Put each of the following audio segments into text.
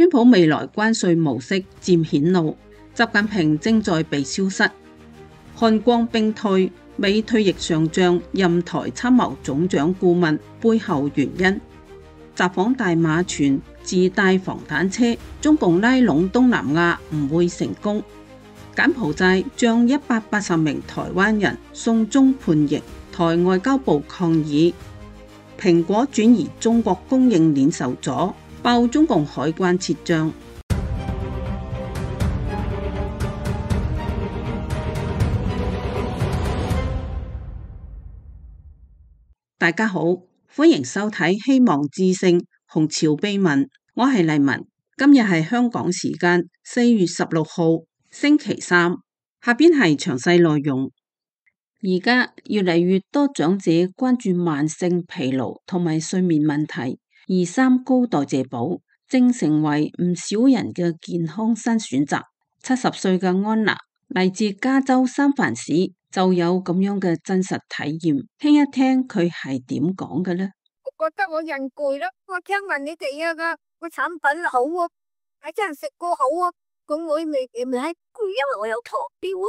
川普未來關稅模式漸顯露，習近平正在被消失。漢光兵退，美退役上將任台參謀總長顧問背後原因。習訪大馬傳自帶防彈車，中共拉攏東南亞唔會成功。柬埔寨將180名台灣人送中判刑，台外交部抗議。蘋果轉移中國供應鏈受阻，爆中共海關撤賬。大家好，歡迎收睇希望之聲紅潮秘聞，我係麗文。今日係香港時間4月16號星期三，下邊係詳細內容。而家越嚟越多長者關注慢性疲勞同埋睡眠問題，而三高代謝寶正成為唔少人嘅健康新選擇。70歲嘅安娜嚟自加州三藩市，就有咁樣嘅真實體驗，聽一聽佢係點講嘅呢？我覺得我人攰啦，我聽聞你哋個產品好啊，係真係食過好啊，咁我未攰，因為我有糖尿啊。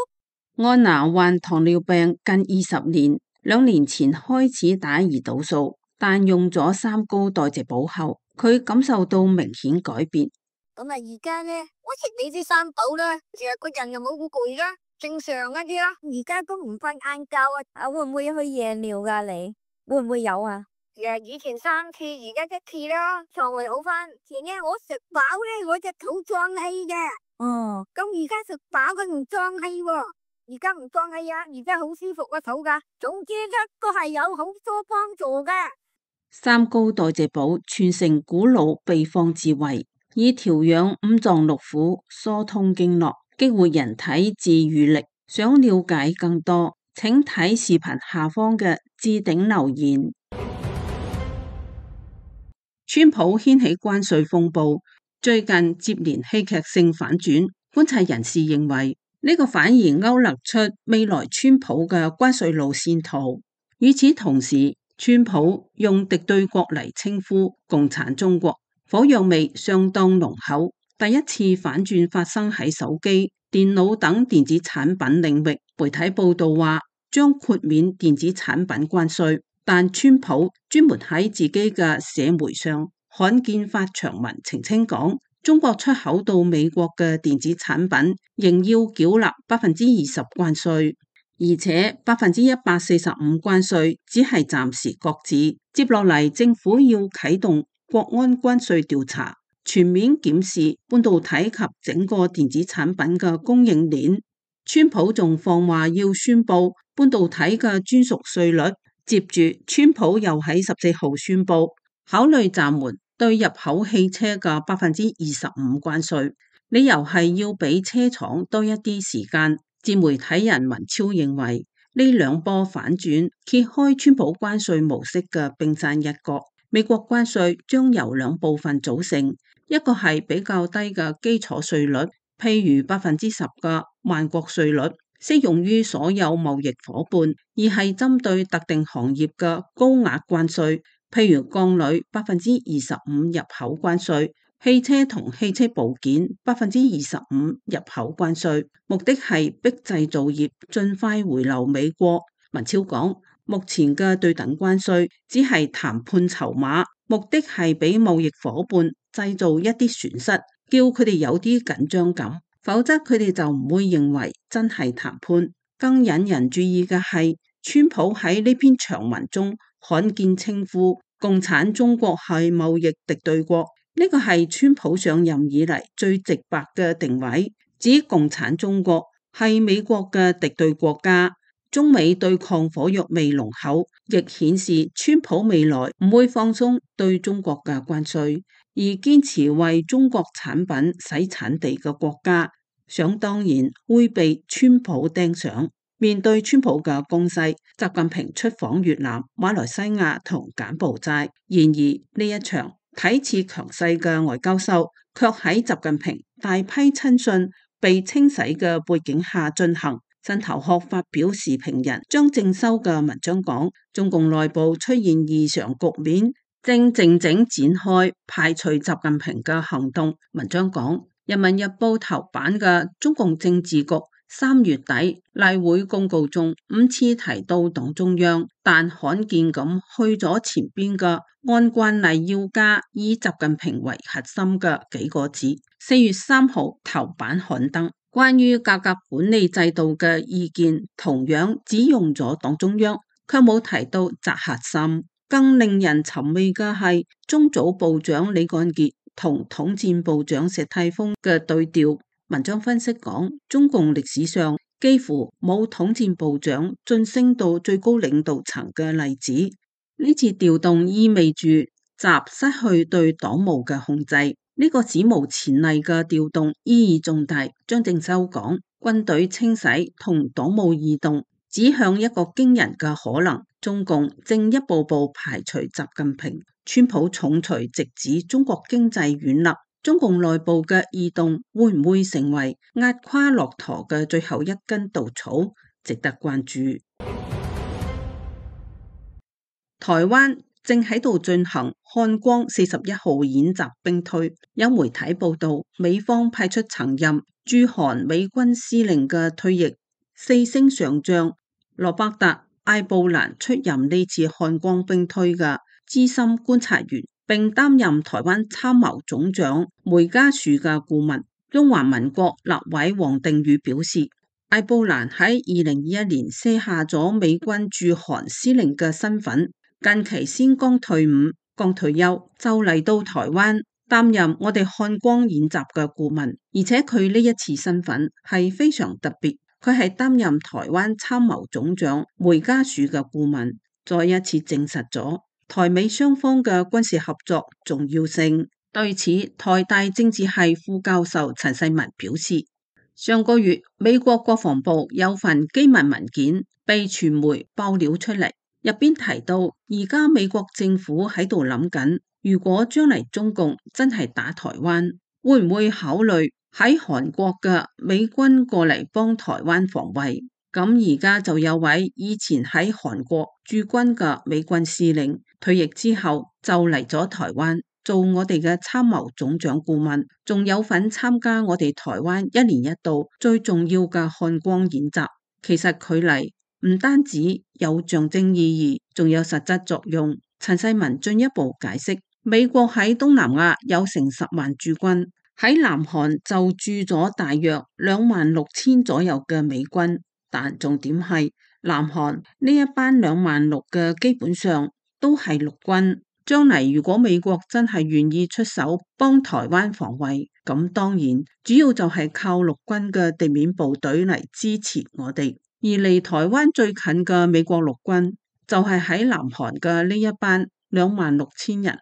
安娜患糖尿病近20年，2年前開始打胰島素，但用咗三高代謝寶後，佢感受到明顯改變。咁啊，而家呢，我食你啲三寶啦，其實個人又冇咁攰啦，正常一啲啦。而家都唔瞓晏覺啊，會唔會去夜尿噶？你會唔會有啊？以前3次，而家1次啦，腸胃好翻。前呢我食飽咧，我隻肚脹氣嘅。哦，咁而家食飽佢唔脹氣喎，而家唔脹氣啊，而家好舒服個肚噶。總之一個係有好多幫助嘅。三高代謝寶傳承古老秘方智慧，以調養五臟六腑、疏通經絡、激活人體自癒力。想了解更多，請睇視頻下方嘅置頂留言。川普掀起關稅風暴，最近接連戲劇性反轉。觀察人士認為，呢個反而勾勒出未來川普嘅關稅路線圖。與此同時，川普用敵對國嚟稱呼共產中國，火藥味相當濃厚。第一次反轉發生喺手機、電腦等電子產品領域。媒體報道話將豁免電子產品關稅，但川普專門喺自己嘅社媒上罕見發長文澄清講，中國出口到美國嘅電子產品仍要繳納20%關稅，而且145%關稅只係暫時擱置。接落嚟，政府要啟動國安關稅調查，全面檢視半導體及整個電子產品嘅供應鏈。川普仲放話要宣布半導體嘅專屬稅率，接住川普又喺14號宣布考慮暫緩對入口汽車嘅25%關稅，理由係要俾車廠多一啲時間。自媒體人文超認為呢兩波反轉揭開川普關稅模式嘅冰山一角。美國關稅將由兩部分組成，一個係比較低嘅基礎稅率，譬如10%嘅萬國稅率，適用於所有貿易夥伴；而係針對特定行業嘅高額關稅，譬如鋼鋁25%入口關稅，汽車同汽車部件25%入口關稅，目的係逼製造業盡快回流美國。文超講，目前嘅對等關稅只係談判籌碼，目的係俾貿易夥伴製造一啲損失，叫佢哋有啲緊張感，否則佢哋就唔會認為真係談判。更引人注意嘅係，川普喺呢篇長文中罕見稱呼共產中國係貿易敵對國，呢個係川普上任以嚟最直白嘅定位，指共產中國係美國嘅敵對國家。中美對抗火藥味濃厚，亦顯示川普未來唔會放鬆對中國嘅關稅，而堅持為中國產品洗產地嘅國家，想當然會被川普盯上。面對川普嘅攻勢，習近平出訪越南、馬來西亞同柬埔寨。然而呢一場睇似強勢嘅外交秀，卻喺習近平大批親信被清洗嘅背景下進行。新頭殼發表時評人張正修嘅文章講，中共內部出現異常局面，正靜靜展開排除習近平嘅行動。文章講，《人民日報》頭版嘅中共政治局3月底例會公告中5次提到黨中央，但罕見咁去咗前邊嘅按慣例要加以習近平為核心嘅幾個字。4月3號頭版刊登關於改革管理制度嘅意見，同樣只用咗黨中央，卻冇提到習核心。更令人尋味嘅係，中組部長李幹傑同統戰部長石泰峰嘅對調。文章分析講，中共歷史上幾乎冇統戰部長晉升到最高領導層嘅例子。呢次調動意味住習失去對黨務嘅控制，呢個史無前例嘅調動意義重大。張正秋講，軍隊清洗同黨務異動指向一個驚人嘅可能，中共正一步步排除習近平。川普重錘直指中國經濟軟肋，中共內部嘅異動會唔會成為壓垮駱駝嘅最後一根稻草，值得關注。台灣正喺度進行漢光41號演習兵推，有媒體報道，美方派出曾任駐韓美軍司令嘅退役4星上將羅伯特艾布蘭出任呢次漢光兵推嘅資深觀察員，並擔任台灣參謀總長梅家樹嘅顧問。中華民國立委王定宇表示，艾布蘭喺2021年卸下咗美軍駐韓司令嘅身份，近期先剛退伍、剛退休，就嚟到台灣擔任我哋漢光演習嘅顧問，而且佢呢一次身份係非常特別。佢係擔任台灣參謀總長梅家樹嘅顧問，再一次證實咗台美雙方嘅軍事合作重要性。對此，台大政治系副教授陳世文表示，上個月美國國防部有份機密文件被傳媒爆料出嚟，入邊提到而家美國政府喺度諗緊，如果將來中共真係打台灣，會唔會考慮喺韓國嘅美軍過嚟幫台灣防衛？咁而家就有位以前喺韓國駐軍嘅美軍司令退役之後就嚟咗台灣做我哋嘅參謀總長顧問，仲有份參加我哋台灣1年1度最重要嘅漢光演習。其實佢嚟唔單止有象徵意義，仲有實質作用。陳世文進一步解釋，美國喺東南亞有成10萬駐軍，喺南韓就駐咗大約26000左右嘅美軍，但重點係南韓呢一班26000嘅基本上都係陸軍。將嚟如果美國真係願意出手幫台灣防衛，咁當然主要就係靠陸軍嘅地面部隊嚟支持我哋。而離台灣最近嘅美國陸軍就係喺南韓嘅呢一班26000人。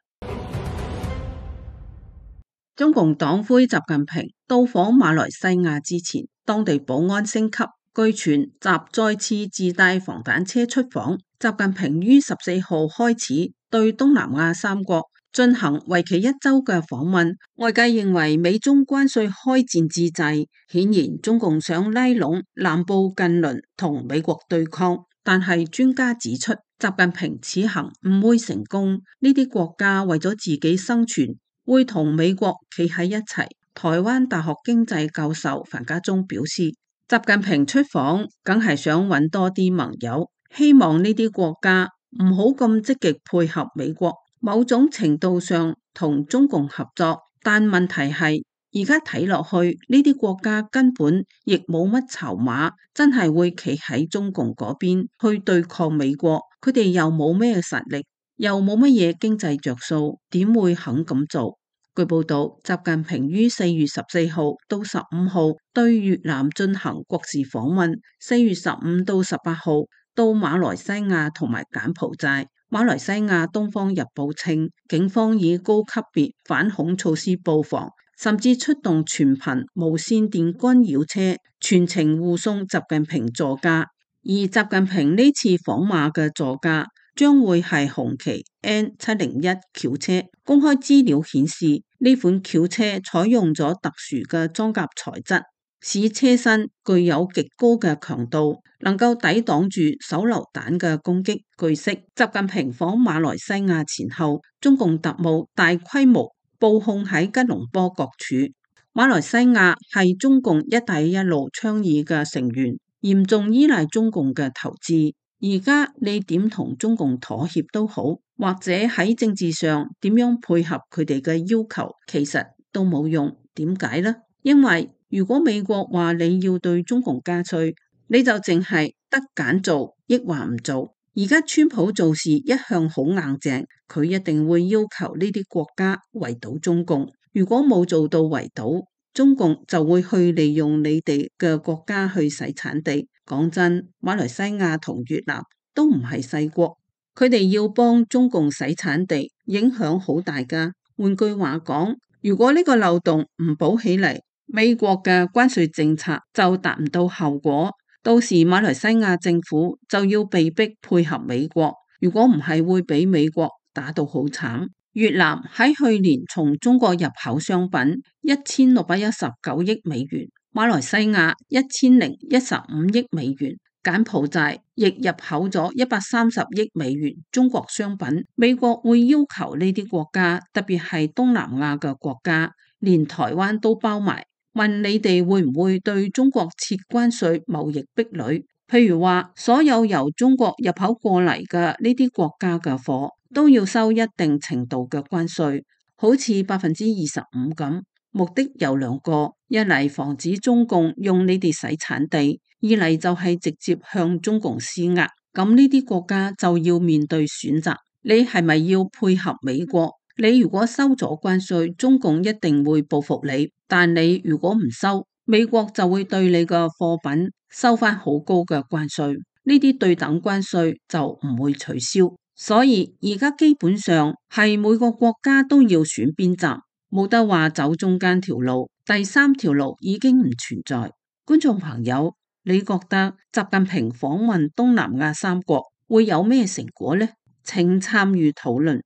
中共黨魁習近平到訪馬來西亞之前，當地保安升級，據傳習再次自帶防彈車出訪。習近平於14號開始對東南亞3國進行為期1周嘅訪問。外界認為美中關稅開戰之際，顯然中共想拉攏南部近鄰同美國對抗。但係專家指出，習近平此行唔會成功，呢啲國家為咗自己生存，會同美國企喺一齊。台灣大學經濟教授樊家忠表示，習近平出訪梗係想揾多啲盟友，希望呢啲國家唔好咁積極配合美國，某種程度上同中共合作。但問題係而家睇落去，呢啲國家根本亦冇乜籌碼，真係會企喺中共嗰邊去對抗美國。佢哋又冇咩實力，又冇乜嘢經濟着數，點會肯咁做？據報道，習近平於4月14號到15號對越南進行國事訪問，4月15到18號到馬來西亞同埋柬埔寨。馬來西亞《東方日報》稱，警方以高級別反恐措施布防，甚至出動全頻無線電干擾車，全程護送習近平座駕。而習近平呢次訪馬嘅座駕將會係紅旗 N701 轎車。公開資料顯示，呢款轎車採用咗特殊嘅裝甲材質，使車身具有極高嘅強度，能夠抵擋住手榴彈嘅攻擊。據悉，習近平訪馬來西亞前後，中共特務大規模布控喺吉隆坡各處。馬來西亞係中共一帶一路倡議嘅成員，嚴重依賴中共嘅投資。而家你點同中共妥協都好，或者喺政治上點樣配合佢哋嘅要求，其實都冇用。點解呢？因為如果美國話你要對中共加稅，你就淨係得揀做，抑或唔做。而家川普做事一向好硬淨，佢一定會要求呢啲國家圍堵中共。如果冇做到圍堵，中共就會去利用你哋嘅國家去洗產地。講真，馬來西亞同越南都唔係細國，佢哋要幫中共洗產地，影響好大㗎。換句話講，如果呢個漏洞唔補起嚟，美國嘅關稅政策就達唔到效果，到時馬來西亞政府就要被迫配合美國，如果唔係會俾美國打到好慘。越南喺去年從中國入口商品1619億美元，馬來西亞1015億美元，柬埔寨亦入口咗130億美元中國商品。美國會要求呢啲國家，特別係東南亞嘅國家，連台灣都包埋，問你哋會唔會對中國設關稅貿易壁壘？譬如話，所有由中國入口過嚟嘅呢啲國家嘅貨，都要收一定程度嘅關稅，好似25%咁。目的有兩個，一嚟防止中共用你哋洗產地，二嚟就係直接向中共施壓。咁呢啲國家就要面對選擇，你係咪要配合美國？你如果收咗關稅，中共一定會報復你，但你如果唔收，美國就會對你嘅貨品收返好高嘅關稅，呢啲對等關稅就唔會取消。所以而家基本上係每個國家都要選邊站，冇得話走中間條路，第三條路已經唔存在。觀眾朋友，你覺得習近平訪問東南亞三國會有咩成果呢？請參與討論。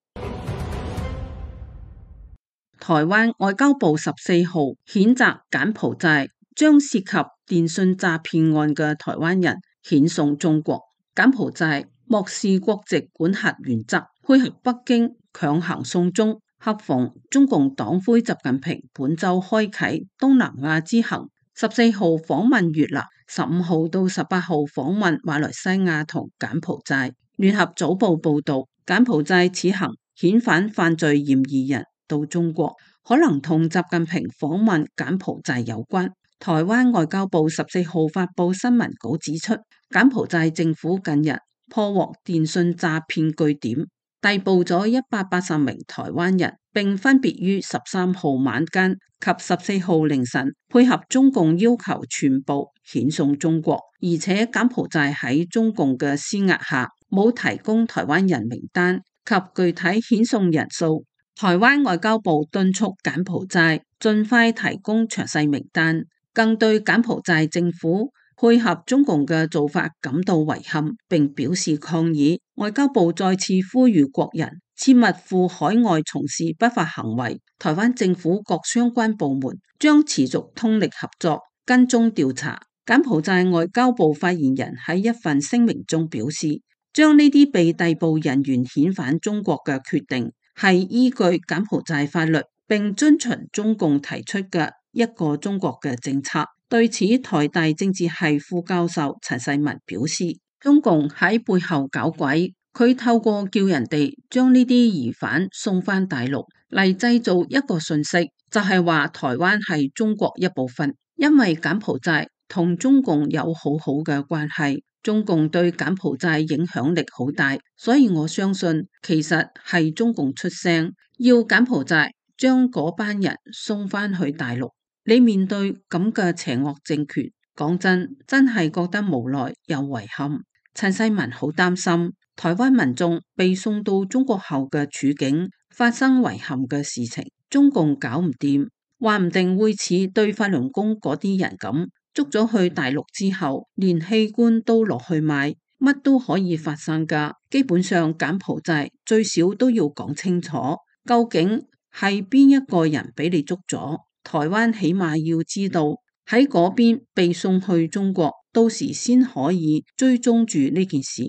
台灣外交部14號譴責柬埔寨將涉及電信詐騙案嘅台灣人遣送中國。柬埔寨漠視國籍管轄原則，配合北京強行送中。恰逢中共黨魁習近平本周開啟東南亞之行，14號訪問越南，15號到18號訪問馬來西亞同柬埔寨。聯合早報報道，柬埔寨此行遣返犯罪嫌疑人到中國，可能同習近平訪問柬埔寨有關。台灣外交部14號發布新聞稿指出，柬埔寨政府近日破獲電信詐騙據點，逮捕咗180名台灣人，並分別於13號晚間及14號凌晨配合中共要求全部遣送中國，而且柬埔寨喺中共嘅施壓下冇提供台灣人名單及具體遣送人數。台灣外交部敦促柬埔寨盡快提供詳細名單，更對柬埔寨政府配合中共嘅做法感到遺憾，並表示抗議。外交部再次呼籲國人切勿赴海外從事不法行為。台灣政府各相關部門將持續通力合作，跟蹤調查。柬埔寨外交部發言人喺一份聲明中表示，將呢啲被逮捕人員遣返中國嘅決定係依據柬埔寨法律，並遵循中共提出嘅一個中國嘅政策。對此，台大政治系副教授陳世文表示，中共喺背後搞鬼，佢透過叫人哋將呢啲疑犯送返大陸嚟製造一個訊息，就係話台灣係中國一部分。因為柬埔寨同中共有好好嘅關係，中共對柬埔寨影響力好大，所以我相信其實係中共出聲，要柬埔寨將嗰班人送返去大陸。你面對咁嘅邪惡政權，講真係覺得無奈又遺憾。陳世文好擔心台灣民眾被送到中國後嘅處境發生遺憾嘅事情，中共搞唔掂，話唔定會似對法輪功嗰啲人咁，捉咗去大陸之後，連器官都落去賣，乜都可以發生㗎。基本上柬埔寨最少都要講清楚，究竟係邊一個人俾你捉咗。台灣起碼要知道喺嗰邊被送去中國，到時先可以追蹤住呢件事。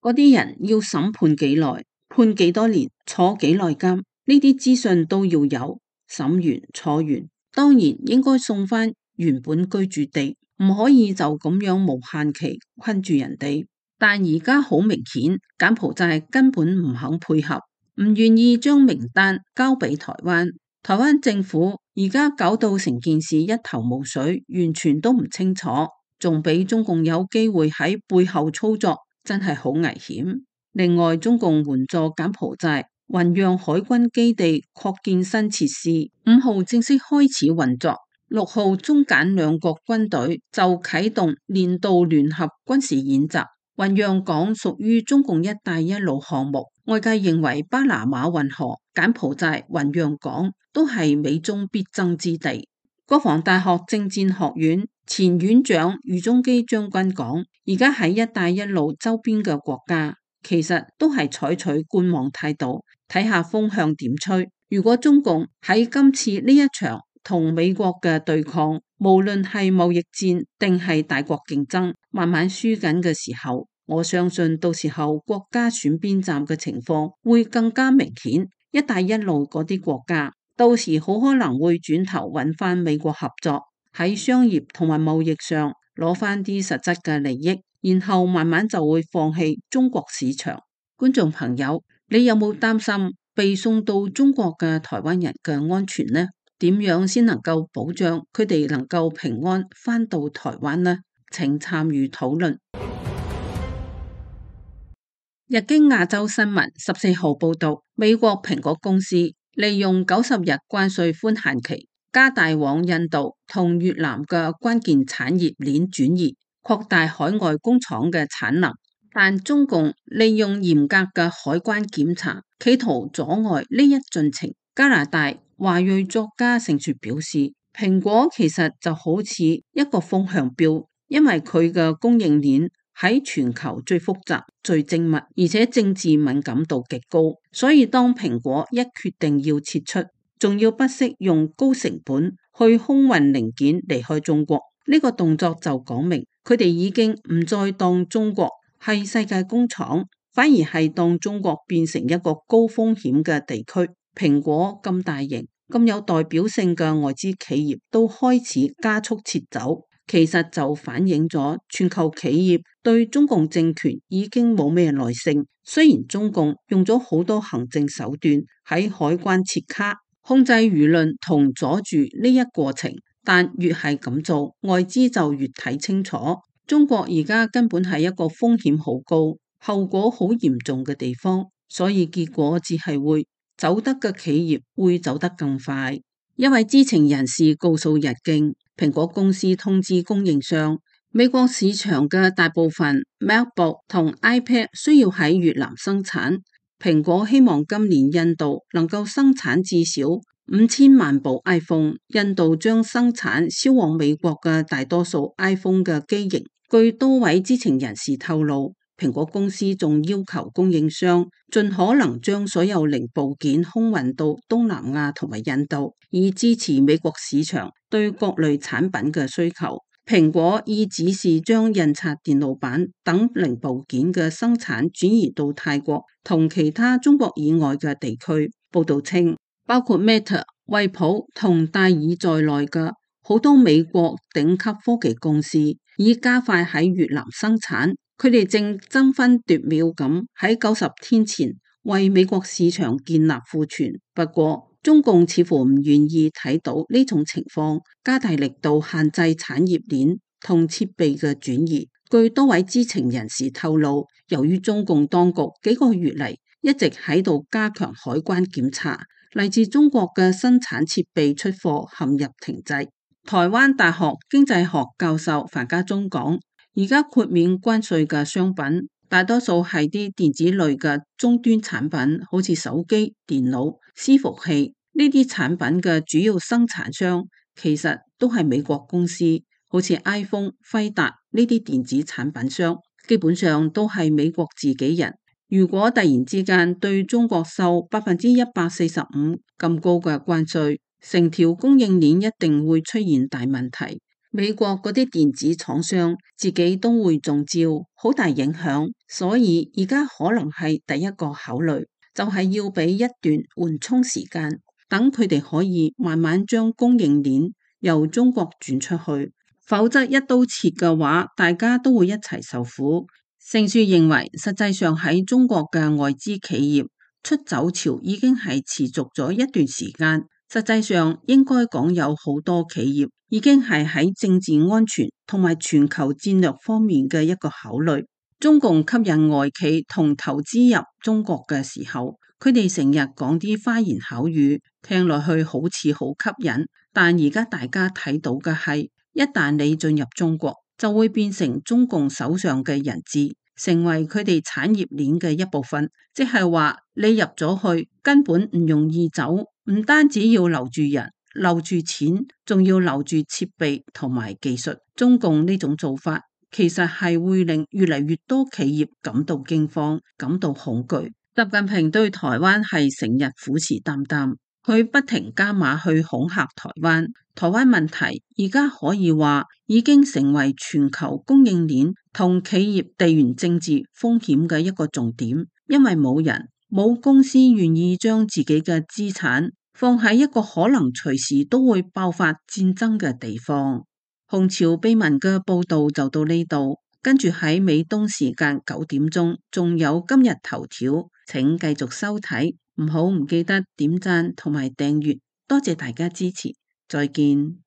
嗰啲人要審判幾耐，判幾多年，坐幾耐監，呢啲資訊都要有。審完坐完，當然應該送返原本居住地，唔可以就咁樣無限期困住人哋。但而家好明顯，柬埔寨根本唔肯配合，唔願意將名單交俾台灣。台灣政府而家搞到成件事一頭霧水，完全都唔清楚，仲俾中共有機會喺背後操作，真係好危險。另外，中共援助柬埔寨雲陽海軍基地擴建新設施，5號正式開始運作，6號中柬兩國軍隊就啟動年度聯合軍事演習。雲陽港屬於中共一帶一路項目，外界認為巴拿馬運河、柬埔寨、雲陽港都係美中必爭之地。國防大學政戰學院前院長余宗基將軍講，而家喺一帶一路周邊嘅國家，其實都係採取觀望態度，睇下風向點吹。如果中共喺今次呢一場同美國嘅對抗，無論係貿易戰定係大國競爭，慢慢輸緊嘅時候，我相信到時候國家選邊站嘅情況會更加明顯。一帶一路嗰啲國家到時好可能會轉頭揾翻美國合作，喺商業同埋貿易上攞翻啲實質嘅利益，然後慢慢就會放棄中國市場。觀眾朋友，你有冇擔心被送到中國嘅台灣人嘅安全呢？點樣先能夠保障佢哋能夠平安返到台灣呢？請參與討論。日經亞洲新聞14號報道，美國蘋果公司利用90日關稅寬限期，加大往印度同越南嘅關鍵產業鏈轉移，擴大海外工廠嘅產能。但中共利用嚴格嘅海關檢查，企圖阻礙呢一進程。加拿大華裔作家盛雪表示，蘋果其實就好似一個風向標，因為佢嘅供應鏈喺全球最複雜、最精密，而且政治敏感度極高，所以當蘋果一決定要撤出，仲要不惜用高成本去空運零件離開中國，呢個動作就講明佢哋已經唔再當中國係世界工廠，反而係當中國變成一個高風險嘅地區。蘋果咁大型、咁有代表性嘅外資企業都開始加速撤走，其實就反映咗全球企業對中共政權已經冇咩耐性。雖然中共用咗好多行政手段喺海關切卡、控制輿論同阻住呢一過程，但越係咁做，外資就越睇清楚，中國而家根本係一個風險好高、後果好嚴重嘅地方，所以結果只係會走得嘅企業會走得更快。一位知情人士告訴日經，蘋果公司通知供應商，美國市場嘅大部分 MacBook 同 iPad 需要喺越南生產，蘋果希望今年印度能夠生產至少5000萬部 iPhone， 印度將生產銷往美國嘅大多數 iPhone 嘅機型。據多位知情人士透露，蘋果公司仲要求供應商盡可能將所有零部件空運到東南亞同埋印度，以支持美國市場對各類產品嘅需求。蘋果已指示將印刷電路板等零部件嘅生產轉移到泰國同其他中國以外嘅地區。報道稱，包括 Meta、惠普同戴爾在內嘅好多美國頂級科技公司已加快喺越南生產。佢哋正爭分奪秒咁喺90天前為美國市場建立庫存。不過，中共似乎唔願意睇到呢種情況，加大力度限制產業鏈同設備嘅轉移。據多位知情人士透露，由於中共當局幾個月嚟一直喺度加強海關檢查，嚟自中國嘅生產設備出貨陷入停滯。台灣大學經濟學教授樊家忠講，而家豁免關稅嘅商品，大多數係啲電子類嘅終端產品，好似手機、電腦、伺服器呢啲產品嘅主要生產商，其實都係美國公司，好似 iPhone、輝達呢啲電子產品商，基本上都係美國自己人。如果突然之間對中國收145%咁高嘅關稅，成條供應鏈一定會出現大問題。美國嗰啲電子廠商自己都會中招，好大影響，所以而家可能係第一個考慮，就係要俾一段緩衝時間，等佢哋可以慢慢將供應鏈由中國轉出去，否則一刀切嘅話，大家都會一齊受苦。盛樹認為，實際上喺中國嘅外資企業出走潮已經係持續咗一段時間。實際上應該講有好多企業已經係喺政治安全同埋全球戰略方面嘅一個考慮。中共吸引外企同投資入中國嘅時候，佢哋成日講啲花言巧語，聽落去好似好吸引。但而家大家睇到嘅係，一旦你進入中國，就會變成中共手上嘅人質，成為佢哋產業鏈嘅一部分。即係話你入咗去，根本唔容易走。唔單止要留住人、留住錢，仲要留住設備同埋技術。中共呢種做法，其實係會令越嚟越多企業感到驚慌、感到恐懼。習近平對台灣係成日虎視眈眈，佢不停加碼去恐嚇台灣。台灣問題而家可以話已經成為全球供應鏈同企業地緣政治風險嘅一個重點，因為冇公司願意將自己嘅資產放喺一個可能隨時都會爆發戰爭嘅地方。紅潮秘聞嘅報道就到呢度，跟住喺美東時間9點鐘仲有今日頭條，請繼續收睇，唔記得點讚同埋訂閱，多謝大家支持，再見。